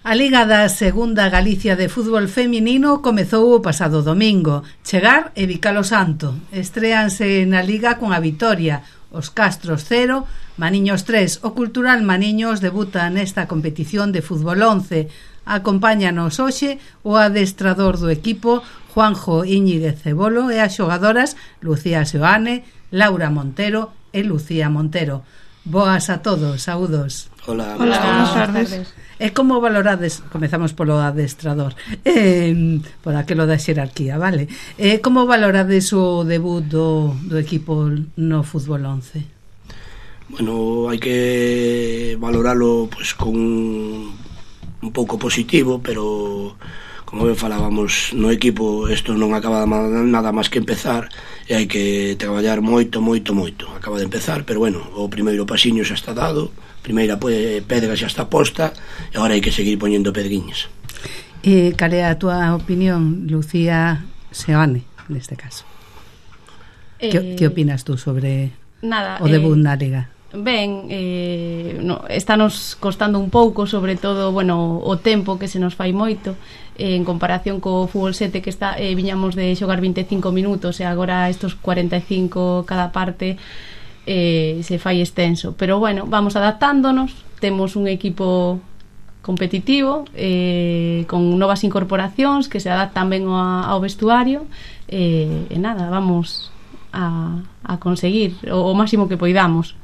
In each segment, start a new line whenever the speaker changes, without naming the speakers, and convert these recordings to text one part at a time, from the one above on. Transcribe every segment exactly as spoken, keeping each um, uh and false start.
A Liga da Segunda Galicia de Fútbol Feminino comezou o pasado domingo. Chegar e Vicalo Santo. Estréanse na Liga con a vitoria. Os Castros cero, Maniños tres. O Cultural Maniños debuta nesta competición de fútbol once. Acompáñanos hoxe o adestrador do equipo, Juanjo Íñiguez Cebolo, e as xogadoras Lucía Seoane, Laura Montero e Lucía Montero. Boas a todos, saúdos.
Hola,
Hola, buenas tardes.
E como valorades, comezamos polo adestrador, eh, por aquilo da xerarquía, vale? Eh, como valorades o debut do, do equipo no fútbol once?
Bueno, hai que valoralo pues, con un pouco positivo, pero como ben falábamos no equipo, isto non acaba nada máis que empezar e hai que traballar moito, moito, moito. Acaba de empezar, pero bueno, o primeiro pasiño xa está dado, a primeira pedra xa está posta e agora hai que seguir poñendo pedriñas.
E cal é a túa opinión, Lucía Seoane, neste caso? Eh, que, que opinas tú sobre
nada,
o debut
eh,
na Liga?
Ben, eh, no, estános costando un pouco, sobre todo, bueno, o tempo que se nos fai moito eh, en comparación co fútbol sete que está, eh, viñamos de xogar vinte e cinco minutos e agora estos cuarenta e cinco cada parte eh, se fai extenso, pero bueno, vamos adaptándonos, temos un equipo competitivo eh, con novas incorporacións que se adaptan ben ao, ao vestuario eh, e nada, vamos a, a conseguir o, o máximo que poidamos.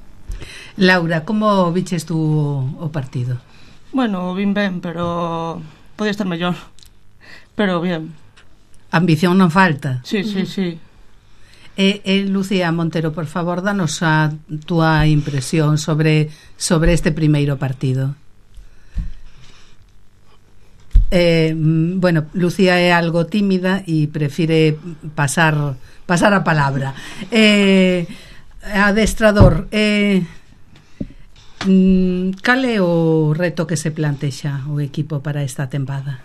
Laura, como viches tú o partido?
Bueno, vin ben, pero podía estar mellor. Pero bien.
Ambición non falta.
Sí, sí, sí.
E, e Lucía Montero, por favor, danos a túa impresión sobre sobre este primeiro partido. Eh, bueno, Lucía é algo tímida e prefire pasar pasar a palabra. Eh, adestrador, eh cal é o reto que se plantexa o equipo para esta tempada?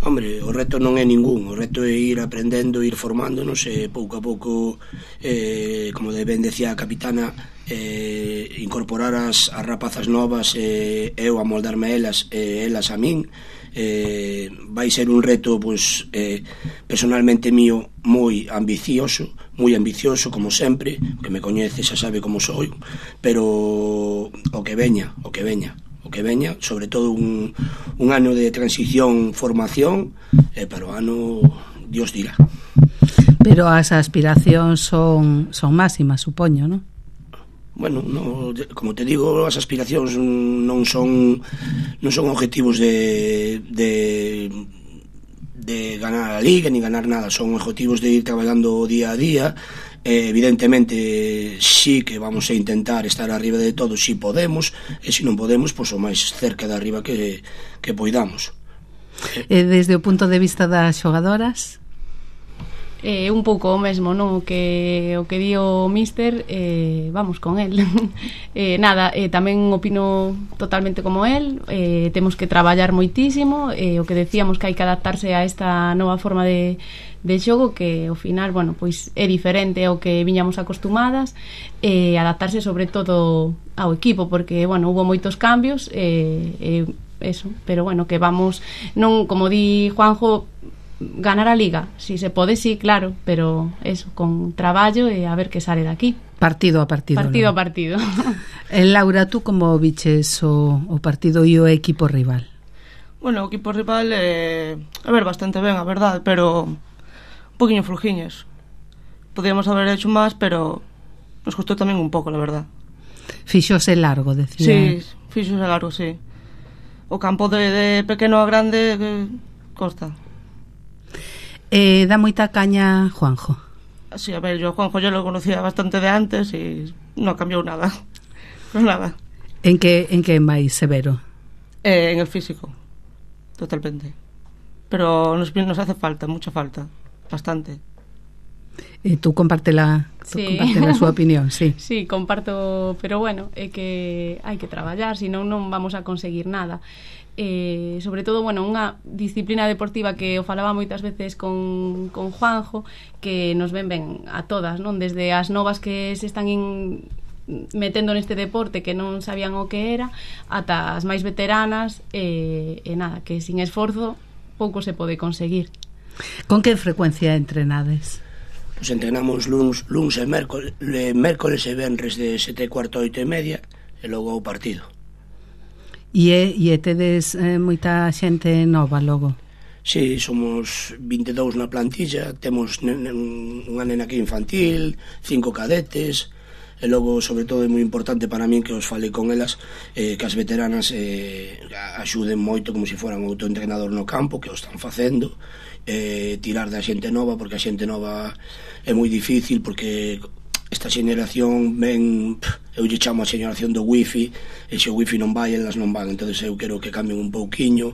Hombre, o reto non é ningún, o reto é ir aprendendo, ir formándonos e pouco a pouco, eh, como ben decía a capitana, eh, incorporar as, as rapazas novas e eh, eu amoldarme a elas e eh, elas a min. Eh, vai ser un reto pues, eh, personalmente mío moi ambicioso, moi ambicioso como sempre, que me coñece xa sabe como soy, pero o que veña, o que veña o que veña, sobre todo un, un ano de transición, formación, e eh, para o ano Dios dirá.
Pero as aspiracións son, son máximas, supoño, non?
Bueno, no, como te digo, as aspiracións non son non son objetivos de de de ganar a Liga ni ganar nada, son objetivos de ir traballando día a día. Eh, evidentemente sí que vamos a intentar estar arriba de todo si podemos, e se non podemos, pois o máis cerca de arriba que, que poidamos.
E desde o punto de vista das xogadoras?
Eh, un pouco o mesmo, non? O que o que di o míster, eh, vamos con el. eh, nada, eh, tamén opino totalmente como el. Eh, temos que traballar moitísimo. Eh, o que decíamos que hai que adaptarse a esta nova forma de, de xogo que ao final, bueno, pois é diferente ao que viñamos acostumadas. Eh, adaptarse sobre todo ao equipo, porque, bueno, hubo moitos cambios. Eh, eh, eso, pero bueno, que vamos, non, como di Juanjo, ganar a Liga, si se pode, sí, claro, pero eso, con traballo e a ver que sale daqui.
Partido a partido.
Partido
¿no?
a partido.
eh, Laura, tú como viches o, o partido e o equipo rival?
Bueno, o equipo rival eh, a ver, bastante ben, a verdade, pero un poquinho flojiños. Podíamos haber hecho máis, pero nos costou tamén un pouco, la verdad.
Fixose largo, decía.
Sí, fixose largo, sí. O campo de, de pequeno a grande eh, costa.
Eh, dá moita caña Juanjo.
Sí, a ver, yo a Juanjo yo lo conocía bastante de antes y no cambió nada. No nada.
En que en que máis severo?
Eh, en el físico, totalmente. Pero nos, nos hace falta, mucha falta, bastante.
E tú comparte la, tú
Sí.
comparte la súa opinión, sí.
Sí, comparto, pero bueno, é que hai que traballar, senón non vamos a conseguir nada. Eh, sobre todo, bueno, unha disciplina deportiva que o falaba moitas veces con, con Juanjo, que nos ven ben a todas, non? Desde as novas que se están in, metendo neste deporte que non sabían o que era, ata as máis veteranas, e, e nada, que sin esforzo pouco se pode conseguir.
Con que frecuencia entrenades?
Pois entrenamos luns, luns e mércoles, mércoles e venres de sete e cuarto a oito e media, e logo o partido.
E, e tedes eh, moita xente nova logo?
Sí, somos vinte e dous na plantilla, temos nen, unha nena aquí infantil, cinco cadetes, e logo, sobre todo, é moi importante para min que os fale con elas, eh, que as veteranas eh, axuden moito como se foran autoentrenador no campo, que o están facendo, eh, tirar da xente nova, porque a xente nova é moi difícil, porque esta xeneración ven, eu lle chamo a xeneración do wifi, e se o wifi non vai, elas non van, entón eu quero que cambien un pouquiño,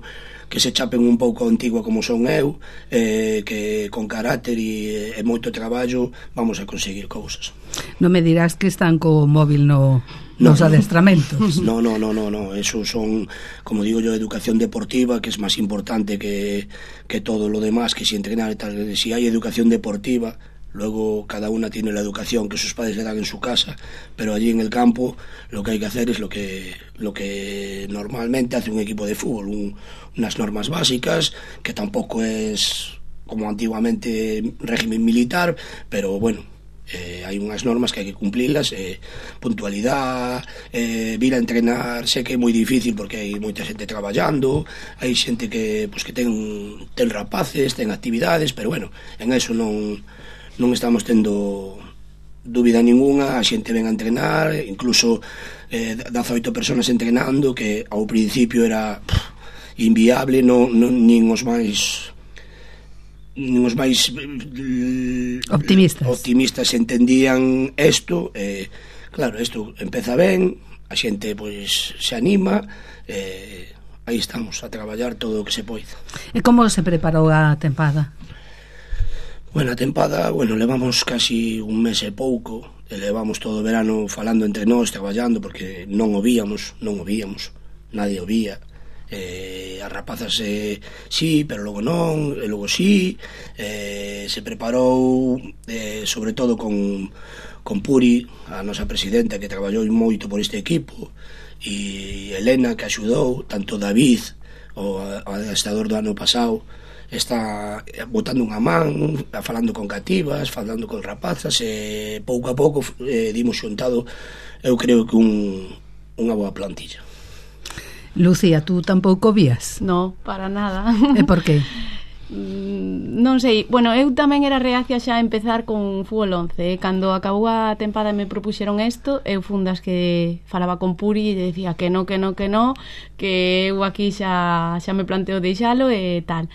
que se chapen un pouco antigua como son eu, eh, que con carácter e, e moito traballo vamos a conseguir cousas.
Non me dirás que están co móvil no, nos no, adestramentos.
No, no, no, no, no, eso son, como digo yo, educación deportiva, que es máis importante que, que todo lo demás, que si entrenar e tal. Si hai educación deportiva, luego cada una tiene la educación que sus padres le dan en su casa, pero allí en el campo lo que hay que hacer es lo que, lo que normalmente hace un equipo de fútbol, un, unas normas básicas, que tampoco es como antiguamente régimen militar, pero bueno, eh, hai unhas normas que hai que cumplirlas, eh, puntualidad, eh, vir a entrenar, sé que é moi difícil porque hai moita xente traballando, hai xente que, pues, que ten, ten rapaces, ten actividades, pero bueno, en eso non non estamos tendo dúbida ninguna, a xente ven a entrenar, incluso eh, dezaoito personas entrenando, que ao principio era pff, inviable, non, non, nin os máis nin os máis
optimistas
optimistas entendían isto, eh, claro, isto empeza ben, a xente pois se anima, eh, aí estamos a traballar todo o que se poida.
E como se preparou a tempada?
Bueno, a tempada, bueno, levamos casi un mes e pouco, e levamos todo o verano falando entre nós, traballando, porque non o víamos, non o víamos, nadie o vía. Eh, as rapazas eh, sí, pero logo non, e logo sí, eh, se preparou eh, sobre todo con, con Puri, a nosa presidenta, que traballou moito por este equipo, e Elena, que axudou, tanto David, o adestrador do ano pasado, está botando unha man, falando con cativas, falando con rapazas, e pouco a pouco eh, dimos xuntado, eu creo que un, unha boa plantilla.
Lucía, tú tampouco vías?
No, para nada.
E por qué?
Non sei, bueno, eu tamén era reacia xa a empezar con fútbol once, eh? Cando acabou a tempada e me propuxeron isto, eu fundas que falaba con Puri e decía que no, que no, que no, que eu aquí xa, xa me planteo deixalo e tal.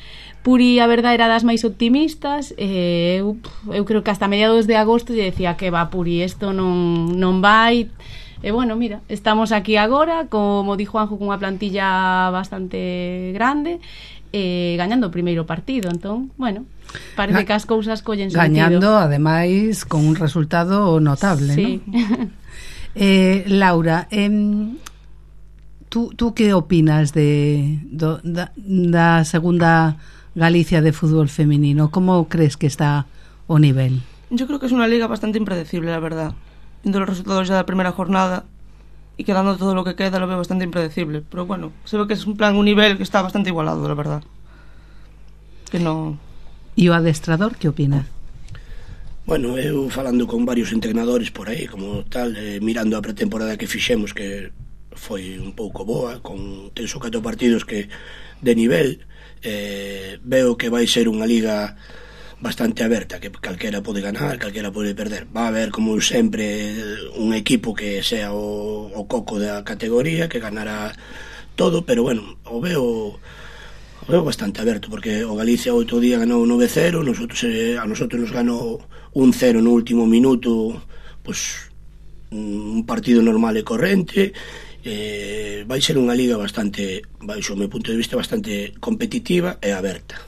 Puri, a verdade, era das máis optimistas, e eu, eu creo que hasta mediados de agosto lle decía que va, Puri, isto non, non vai. E bueno, mira, estamos aquí agora, como di Juanjo, cunha plantilla bastante grande, e gañando o primeiro partido, entón, bueno, parece Ga que as cousas collen sentido.
Gañando, ademais, con un resultado notable,
sí.
¿no? eh, Laura, eh, tú, tú que opinas de do, da, da segunda Galicia de fútbol femenino? Como crees que está o nivel?
Yo creo que es una liga bastante impredecible, la verdad. Viendo los resultados ya de la primera jornada y quedando todo lo que queda, lo veo bastante impredecible, pero bueno, se ve que es un plan, un nivel que está bastante igualado, la verdad. Que no...
E o adestrador, que opina?
Bueno, eu falando con varios entrenadores por aí, como tal, eh, mirando a pretemporada que fixemos, que foi un pouco boa, con tres ou catro partidos que de nivel, eh, veo que vai ser unha liga bastante aberta, que calquera pode ganar, calquera pode perder. Va a haber, como sempre, un equipo que sea o, o coco da categoría, que ganará todo, pero bueno, o veo o veo bastante aberto, porque o Galicia outro día ganou nove cero, nosotros, eh, a nosotros nos ganou un cero no último minuto, pues un partido normal e corrente. Eh, vai ser unha liga bastante, baixo o meu punto de vista, bastante competitiva e aberta.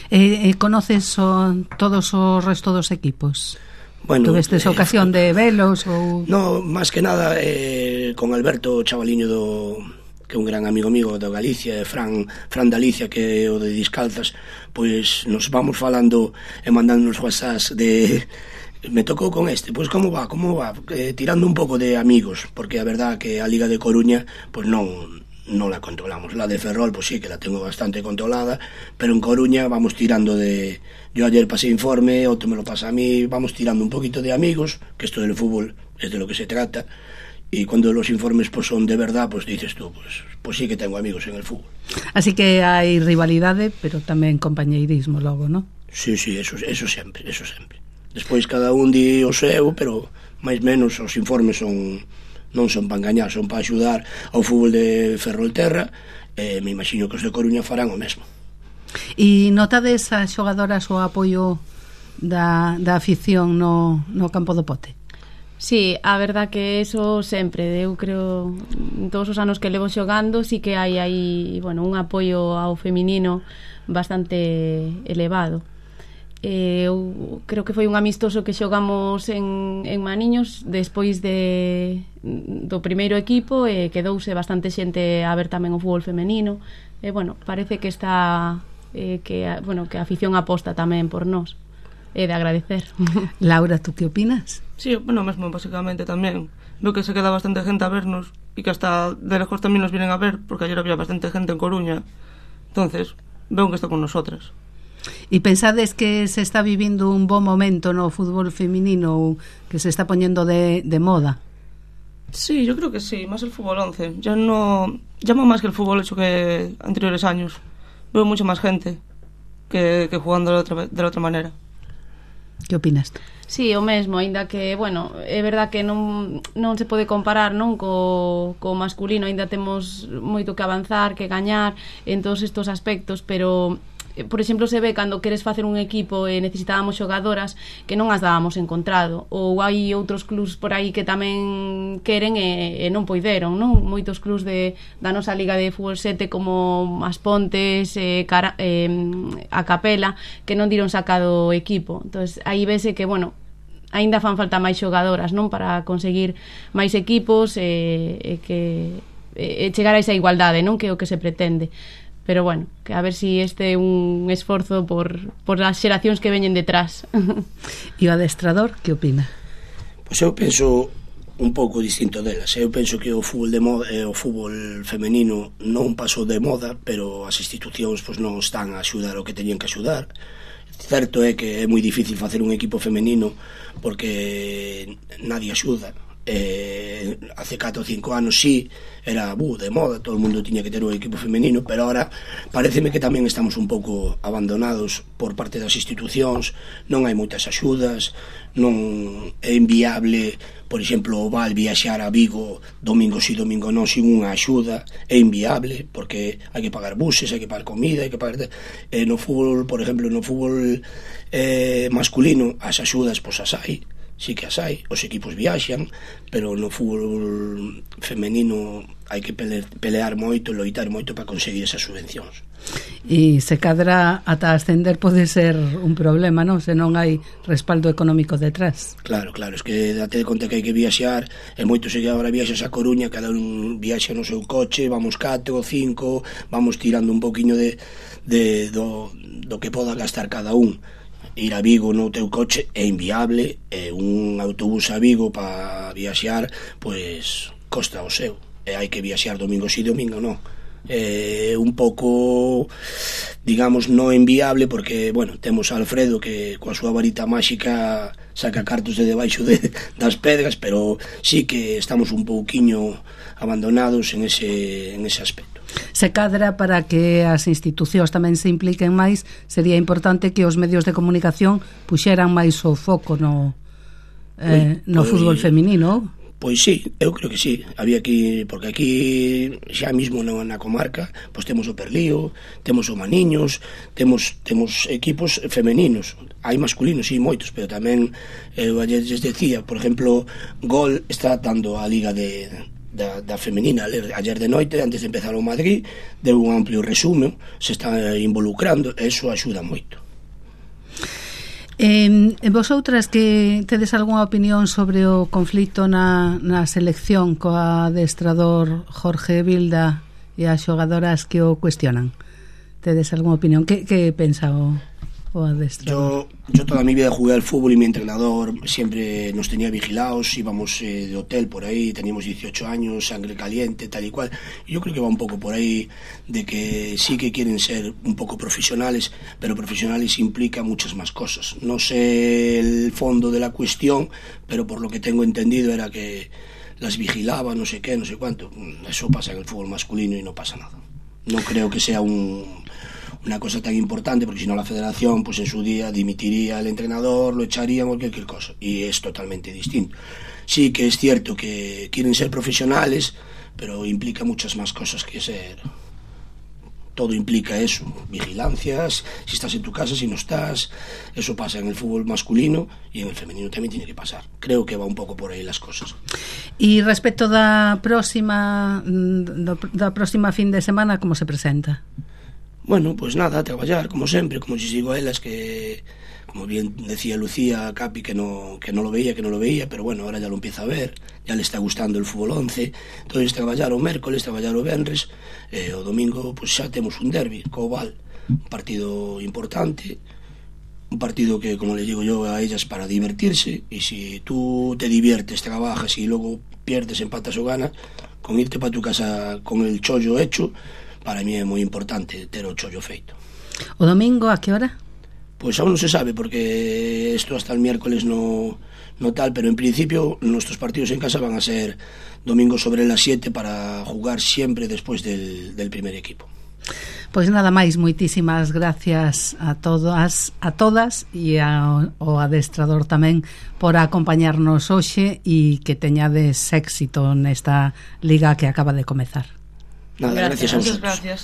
Eh, eh, conoces o, todos os resto dos equipos?
Bueno,
Tuvestes eh, ocasión de velos? Ou...
No, máis que nada eh, con Alberto, chavaliño do, que é un gran amigo mío da Galicia, e Fran, Fran Dalicia, que é o de Discalzas, pois nos vamos falando e mandándonos whatsapps de Me tocou con este, pois como va, como va, eh, tirando un pouco de amigos, porque a verdad que a Liga de Coruña pois non non la controlamos. La de Ferrol, pues sí, que la tengo bastante controlada, pero en Coruña vamos tirando de... Yo ayer pasé informe, otro me lo pasa a mí, vamos tirando un poquito de amigos, que esto del fútbol es de lo que se trata, y cuando los informes pues son de verdad, pues dices tú, pues, pues sí que tengo amigos en el fútbol.
Así que hai rivalidade, pero tamén compañeirismo logo, ¿no?
Sí, sí, eso, eso sempre, eso sempre. Despois cada un di o seu, pero máis menos os informes son... non son para engañar, son para axudar ao fútbol de Ferrolterra, e me imagino que os de Coruña farán o mesmo.
E notades as xogadoras o apoio da, da afición no, no campo do Pote?
Sí, a verdad que eso sempre, eu creo, en todos os anos que levo xogando, sí que hai aí, bueno, un apoio ao feminino bastante elevado. Eh, eu creo que foi un amistoso que xogamos en, en Maniños despois de, do primeiro equipo, e quedouse bastante xente a ver tamén o fútbol femenino, e bueno, parece que está eh, que, bueno, que a afición aposta tamén por nós, é de agradecer.
Laura, tú que opinas?
Sí, bueno, mesmo basicamente tamén veo que se queda bastante gente a vernos, e que hasta de lejos tamén nos vienen a ver, porque ayer había bastante gente en Coruña, entonces veo que está con nosotras.
E pensades que se está vivindo un bo momento no fútbol feminino, que se está poñendo de, de moda?
Sí, yo creo que sí, más el fútbol once. Ya no llama más que el fútbol ocho que anteriores años. Veo mucha más gente que, que jugando de, otra, de la otra manera.
Que opinas tú?
Sí, o mesmo, aínda que, bueno, é verdad que non, non se pode comparar, non, co, co masculino, aínda temos moito que avanzar, que gañar en todos estos aspectos, pero... por exemplo, se ve cando queres facer un equipo e necesitábamos xogadoras que non as dábamos encontrado, ou hai outros clubs por aí que tamén queren e, e non poideron, non? Moitos clubs de, da nosa Liga de Fútbol sete como As Pontes, eh, cara, eh, a Capela, que non diron sacado o equipo. Entonces, aí vese que, bueno, aínda fan falta máis xogadoras, non? Para conseguir máis equipos e, e que e chegar a esa igualdade, non? Que é o que se pretende. Pero bueno, que a ver si este é un esforzo por, por as xeracións que veñen detrás.
E o adestrador, que opina?
Pois eu penso un pouco distinto delas. Eu penso que o fútbol de moda, o fútbol femenino non pasou de moda, pero as institucións pois non están a axudar o que teñen que axudar. Certo é que é moi difícil facer un equipo femenino porque nadie axuda. Eh, hace catro ou cinco anos sí era bu, de moda, todo o mundo tiña que ter un equipo femenino, pero ahora pareceme que tamén estamos un pouco abandonados por parte das institucións, non hai moitas axudas, non é inviable, por exemplo, o Val viaxar a Vigo domingo si, domingo non, sin unha axuda, é inviable, porque hai que pagar buses, hai que pagar comida, hai que pagar... Eh, no fútbol, por exemplo, no fútbol eh, masculino, as axudas, pois as hai, sí que as hai, os equipos viaxan, pero no fútbol femenino hai que pelear, pelear moito, loitar moito para conseguir esas subvencións.
E se cadra ata ascender pode ser un problema, non? Se non hai respaldo económico detrás.
Claro, claro, es que date conta que hai que viaxar, e moito se que agora viaxas a Coruña, cada un viaxa no seu coche, vamos catro ou cinco, vamos tirando un poquinho de, de do, do que poda gastar cada un. Ir a Vigo no teu coche é inviable, e un autobús a Vigo para viaxar, pois costa o seu, e hai que viaxar domingo si, domingo non. É un pouco, digamos, non inviable, porque, bueno, temos a Alfredo que coa súa varita máxica saca cartos de debaixo de, das pedras, pero sí que estamos un pouquiño abandonados en ese, en ese aspecto.
Se cadra para que as institucións tamén se impliquen máis, sería importante que os medios de comunicación puxeran máis o foco no, eh, no pois, fútbol feminino.
Pois sí, eu creo que sí. Había que, porque aquí xa mismo na, na comarca, pois temos o Perlío, temos o Maniños, temos temos equipos femeninos. Hai masculinos, sí, moitos, pero tamén eu ayer les decía, por exemplo, Gol está dando a liga de Da, da femenina ayer de noite, antes de empezar o Madrid, deu un amplio resumo, se está involucrando, e iso axuda moito.
Eh, vosotras que tedes algunha opinión sobre o conflito na, na selección coa adestrador Jorge Vilda e as xogadoras que o cuestionan? Tedes algunha opinión? Que, que pensa o, o adestrador?
Yo, yo toda mi vida jugué al fútbol y mi entrenador siempre nos tenía vigilados, íbamos eh, de hotel por ahí, teníamos dieciocho años, sangre caliente, tal y cual. Y yo creo que va un poco por ahí de que sí que quieren ser un poco profesionales, pero profesionales implica muchas más cosas. No sé el fondo de la cuestión, pero por lo que tengo entendido era que las vigilaba, no sé qué, no sé cuánto. Eso pasa en el fútbol masculino y no pasa nada. No creo que sea un, una cosa tan importante, porque si no la federación pues en su día dimitiría al entrenador, lo echaría o cualquier cosa, y es totalmente distinto. Sí que es cierto que quieren ser profesionales, pero implica muchas más cosas que ser... Todo implica eso, vigilancias, si estás en tu casa, si no estás. Eso pasa en el fútbol masculino y en el femenino también tiene que pasar. Creo que va un pouco por aí las cosas.
E respecto da próxima da próxima fin de semana, como se presenta?
Bueno, pues nada, a traballar, como sempre, como si sigo a elas, que, como bien decía Lucía Capi, que no, que no lo veía, que no lo veía, pero bueno, ahora ya lo empieza a ver, ya le está gustando el fútbol once, entonces traballar o mércoles, traballar o venres, eh, o domingo, pues xa temos un derbi, co Val, un partido importante, un partido que, como le digo yo a ellas, para divertirse, y si tú te diviertes, trabajas y luego pierdes, empatas o ganas, con irte para tu casa con el chollo hecho, para mí é moi importante ter o chollo feito.
O domingo a que hora?
Pues aún no se sabe, porque esto hasta el miércoles no, no tal, pero en principio nuestros partidos en casa van a ser domingo sobre las siete para jugar siempre después del, del primer equipo.
Pois nada máis, moitísimas gracias a todas, a todas e ao, ao adestrador tamén por acompañarnos hoxe e que teñades éxito nesta liga que acaba de comezar.
Nada, gracias, gracias a vosotros.
Gracias.